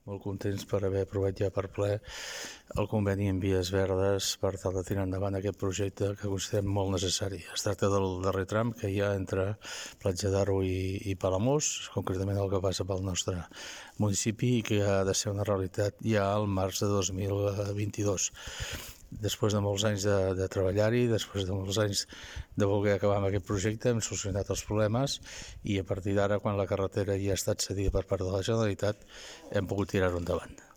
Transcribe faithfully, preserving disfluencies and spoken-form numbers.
molt contents per haver aprovat ja per ple el conveni en vies verdes per tal de tirar endavant aquest projecte que considerem molt necessari. Es tracta del darrer tram que hi ha entre Platja d'Aro i, i Palamós, concretament el que passa pel nostre municipi i que ha de ser una realitat ja al març de dos mil vint-i-dos. Després de molts anys de, de treballar-hi, després de molts anys de voler acabar amb aquest projecte, hem solucionat els problemes i a partir d'ara, quan la carretera ja ha estat cedida per part de la Generalitat, hem pogut tirar-ho endavant.